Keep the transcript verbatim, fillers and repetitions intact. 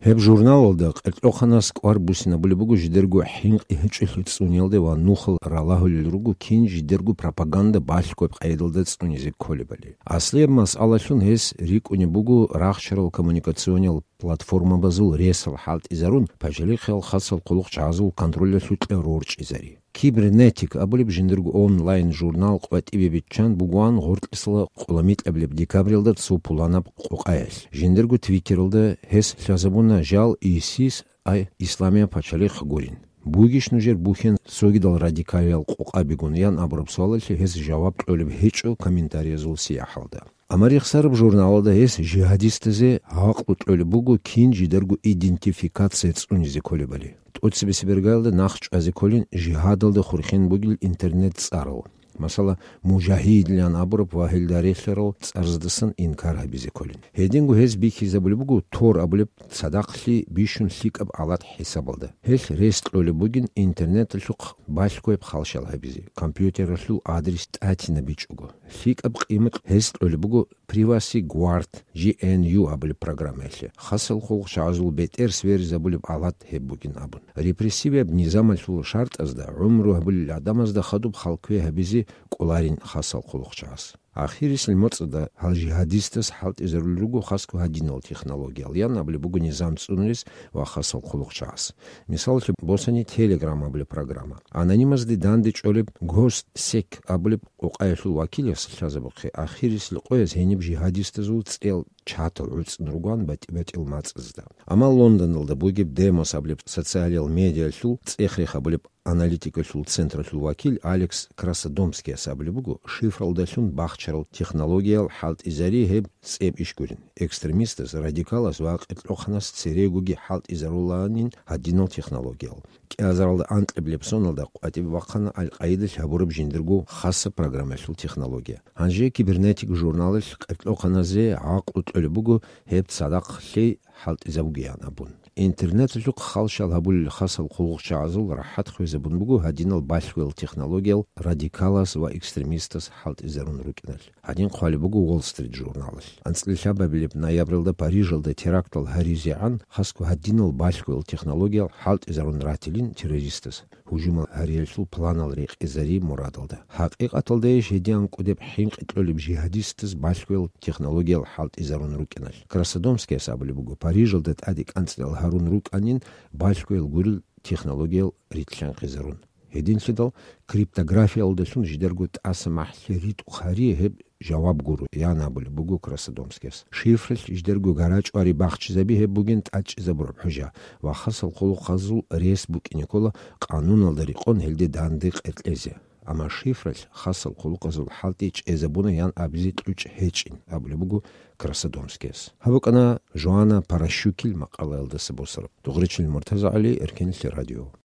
Гьеб журналалда къеркьохъанас кӀвар буссинабулеб буго жидерго хӀинкъи гьечӀолъи цӀуниялде ва нухал ралагьулел руго кин жидерго пропаганда балъгояб къайдалда цӀунизе кколебали. Аслияб масъалалъун гьес рикӀкӀунеб буго рахчарал коммуникациониял платформабазул ресал хӀалтӀизарун, пачалихъал хасал хъулухъчагӀазул контролялъукьа рорчӀизари. Кибернетик абулеб жиндирго онлайн-журнал къватӀибе биччан бугоан гъоркьисла къуламикьабилеб декабралда цо пуланаб къокъаялъ. Жиндирго Твиттералда гьес лъазабуна жал ИСИС, ай, Исламияб пачалихъ гурин. Бугищ нужер бухьен цогидал радикалиял къокъабигун? Ян абураб суалалъе гьес жаваб кьолеб гьечӀо комментариязул сияхӀалда. Амма рехсараб журналалда гьес жигьадистазе гӀакълу кьолеб буго кин жидарго идентификация цӀунизе кколебали. ТӀоцебесеб иргаялда нахъ чӀвазе кколин жигьадалда хурхен бугел интернет-цӀарал, масала, мужагьидилан абураб ва гьелда релълъарал цӀарздасан инкар гьабизе кколин. Гьединго гьез бихьизабулеб буго Тор абулеб цадахълъи бищун лъикӀаб алат хӀисабалда. Гьелъ рес кьолеб бугин интернеталъухъ балъгояб халщал гьабизе, компьютералъул адрес тӀатинабичӀого. ЛъикӀаб къимат гьес кьолеб буго Privacy Guard, G N U абулеб программаялъе, хасал хъулухъчагӀазул бетӀер сверизабулеб алат гьеб бугин абун. Репрессивияб низамалъул шартӀазда гӀумру гьабулел гӀадамазда хадуб хал кве гьабизе кӀоларин хасал хъулухъчагӀаз. Ахирисел моцӀалда гьал жигьадистас хӀалтӀизарулел руго хасго гьадинал технологиял, ян абулеб буго низам цӀунрес ва хасал хъулухъчагӀаз. Мисаллъун босани Telegram абулеб программа. Анонимазде данде чӀолеб Госдсек абулеб къокъаялъул вакилас лъазабухъе, ахирисел къояз гьениб жигьадистазул цӀел чатал гӀуцӀун ругоан батӀи-батӀиял мацӀазда. Амма Лондоналда бугеб Демос абулеб социалиял медиаялъул цӀех-рех абулеб аналитикалъул централъул вакил Алекс Красодомскияс абулеб буго, шифралдалъун бахчарал технологиял хӀалтӀизари гьеб цӀеб иш гурин, экстремистас, радикалас ва къеркьохъанас церегоги хӀалтӀизарулаанин гьадинал технологиял. КӀиазаралда анкьабилеб соналда къватӀибе бахъана Аль-Къаидалъ гьабураб жиндирго хасаб программаялъул технология. Гьанже Кибернетик журналалъ къеркьохъаназе гӀакълу кьолеб буго гьеб цадахъ лъей хӀалтӀизабугеян абун. Интернеталъухъ халщал гьабулел хасал хъулухъчагӀазул рахӀат хвезабун буго гьадинал балъгоял технологиял радикалас ва экстремистас хӀалтӀизарун рукӀиналъ. Гьадин хъвалеб буго Wall Street журналалъ. АнцӀила лъабабилеб ноябралда Парижалда терактал гьаризегӀан хасго гьадинал балъгоял технологиял хӀалтӀизарун ратилин террористас гьужумал гьариялъул планал рекъезари мурадалда. ХӀакъикъаталдайищ гьедин кӀудеб хӀинкъи кьолеб жигьадистаз балъгоял технологиял хӀалтӀизарун рукӀиналъ? Красодомскияс абулеб буго, Парижалда тӀаде кӀанцӀдал гьарун рукӀанин балъгоял гурел технологиял рилълъанхъизарун. Гьединлъидал криптографиялдалъун жидарго тӀаса махӀлъи ритӀухъ гьари гьеб жаваб гуро, ян абулеб буго Красодомскияс. Шифралъ жидерго гарачӀвари бахчизаби гьеб бугин тӀадчӀезабураб хӀужа ва хасал хъулухъазул рес букӀине ккола къануналда рекъон гьелде данде къеркьезе. Амма шифралъ хасал хъулухъазул хӀалтӀи чӀезабуна ян абизе кьучӀ гьечӀин абулеб буго Красодомскияс. Гьаб букӀана Жоана Паращукил макъалаялдаса босараб. Дугъричил МуртазагӀали, Эркенлъи радио.